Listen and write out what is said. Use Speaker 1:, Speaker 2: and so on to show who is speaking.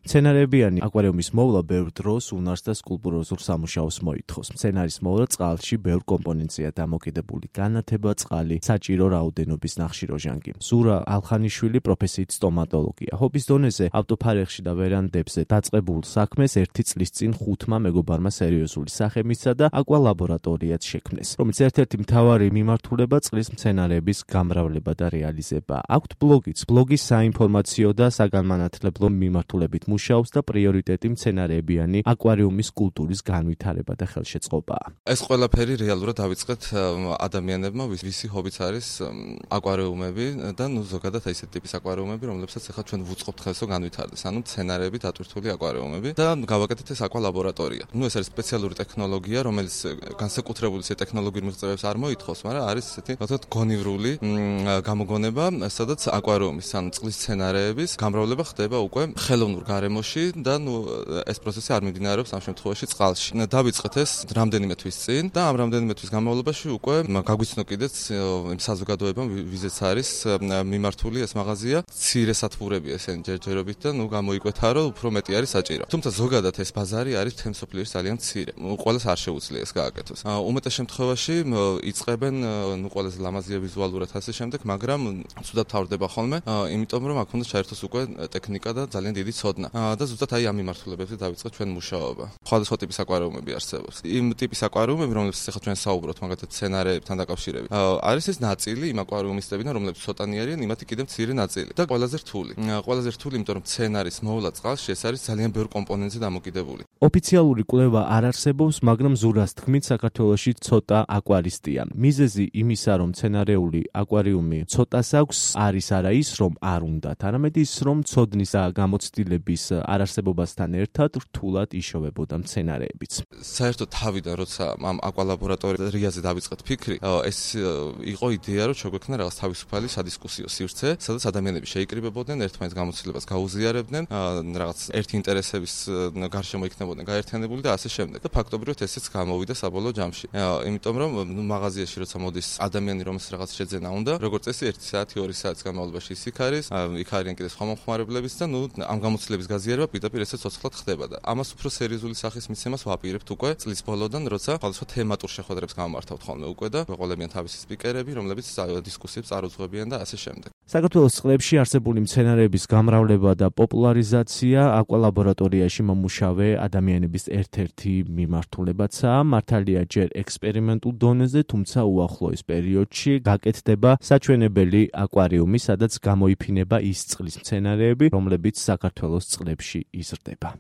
Speaker 1: მცენარეებიანი აკვარიუმის მოვლა ბევრ დროს უნარს და სკულპტუროზულ სამუშაოს მოითხოვს. მცენარის მოვლა წყალში ბევრ კომპონენტზეა დამოკიდებული: განათება, წყალი, საჭირო რაოდენობის ნახშირორჟანგი. ზურა ალხანიშვილი პროფესიით სტომატოლოგია. ჰობის დონეზე ავტოფარეხში და ვერანდებზე დაწყებულ საქმეს 1 წლის წინ 5-მა მეგობარმა სერიოზული სახე მისცა და აკვალაბორატორიაც შექმნეს, რომელიც ერთ-ერთი მთავარი მიმართულება წყლის მცენარეების გამრავლება და რეალიზება. აქვთ ბლოგიც. ბლოგის საინფორმაციო და საგანმანათლებლო მიმართულებით მუშაობს და პრიორიტეტი მცენარეებიანი აკვარიუმის კულტურის განვითარება და ხელშეწყობაა.
Speaker 2: ეს ყველაფერი რეალურად დავიწყეთ ადამიანებმა, ვისი ჰობიც არის აკვარიუმები და ზოგადად ესეთი ტიპის აკვარიუმები, რომლებსაც ახლა ჩვენ ვუწყობთ ხელსო განვითარდეს, ანუ მცენარეებით ატვირთული აკვარიუმები და გავაკეთეთ ეს აკვალაბორატორია. ეს არის სპეციალური ტექნოლოგია, რომელიც განსაკუთრებული ტექნოლოგიურ მიღწევებს არ მოითხოვს, მაგრამ არის ესეთი, თქო, გონივრული გამოგონება, სადაც აკვარიუმის, ანუ წყლის მცენარეების გამრავლება ხდება უკვე ხელოვნურ გარემოში და ეს პროცესი არ მიმდინარეობს ამ შემთხვევაში წყალში. დავიწყეთ ეს რამდენიმე თვის წინ და ამ რამდენიმე თვის განმავლობაში უკვე გაგვიცნო კიდეც იმ საზოგადოებამ, ვიზეც არის მიმართული ეს მაღაზია, მცირე სათბურებია ესენი ჯერჯერობით და გამოიკვეთა, რომ უფრო მეტი არის საჭირო. თუმცა ზოგადად ეს ბაზარი არის მთელ მსოფლიოში ძალიან მცირე. ყველას არ შეუძლია ეს გააკეთოს. უმეტეს შემთხვევაში იწყებენ ყველაზე ლამაზია ვიზუალურად ასე შემდეგ, მაგრამ ცუდად თავდება ხოლმე, იმიტომ რომ აქ უნდა ჩაერთოს უკვე ტექნიკა და ძალიან დიდი ცოდნა. და ზუსტად ამ მიმართულებებზე დავიწყეთ ჩვენ მუშაობა. სხვადასხვა ტიპის აკვარიუმები არსებობს. იმ ტიპის აკვარიუმები, რომლებიც ახლა ჩვენ საუბრობთ, მაგალითად მცენარეებთან დაკავშირებით, არის ეს ნაწილი იმ აკვარიუმის ტიპიდან, რომლებიც ცოტანი არიან, იმათი კიდევ მცირე ნაწილი და ყველაზე რთული. ყველაზე რთული, იმიტომ რომ მცენარის მოვლა წყალში ეს არის ძალიან ბევრ კომპონენტზე დამოკიდებული.
Speaker 1: ოფიციალური კვლევა არ არსებობს, მაგრამ ზურას თქმით, საქართველოში ცოტა აკვარისტია. მიზეზი იმისა, რომ მცენარეული აკვარიუმი ცოტას აქვს, არის არა ის, რომ არ უნდათ, არამედ ის, რომ ცოდნის და გამოცდილების არარსებობასთან ერთად რთულად იშოვებოდა მცენარეებიც.
Speaker 2: საერთოდ თავიდან, როცა ამ აკვალაბორატორიაზე დავიწყეთ ფიქრი, ეს იყო იდეა, რომ შეგვექმნა რაღაც თავისუფალი სადისკუსიო სივრცე, სადაც ადამიანები შეიკრიბებოდნენ, ერთმანეთს გამოცდილებას გაუზიარებდნენ, რაღაც ერთი ინტერესების გარშემო იქნებოდნენ გაერთიანებული და ასე შემდეგ. და ფაქტობრივად ესეც გამოვიდა საბოლოო ჯამში. იმიტომ რომ მაღაზიაში როცა მოდის ადამიანი, რომელსაც რაღაც შეძენა უნდა, როგორც წესი 1 საათი, 2 საათის განმავლობაში ის იქ არის, იქ არიან კიდე სხვა მომხმარებლებიც და ამ გამოცდილების გაზიარება პირდაპირ ესეც ცოცხლად ხდება და ამას უფრო სერიოზული სახის მიცემას ვაპირებთ უკვე წლის ბოლოდან, როცა სხვადასხვა თემატურ შეხვედრებს გამართავთ ხოლმე უკვე და ეყოლებიან თავისი სპიკერები, რომლებიც დისკუსიებს წარუძღვებიან და ასე შემდეგ.
Speaker 1: საქართველოს წყლებში არსებული მცენარეების გამრავლება და პოპულარიზაცია აკვალაბორატორიაში მომუშავე ადამიანების ერთ-ერთი მიმართულებაცაა. მართალია ჯერ ექსპერიმენტულ დონეზე, თუმცა უახლოეს პერიოდში გაკეთდება საჩვენებელი აკვარიუმი, სადაც გამოიფინება ის წყლის მცენარეები, რომლებიც საქართველოს წყლებში იზრდება.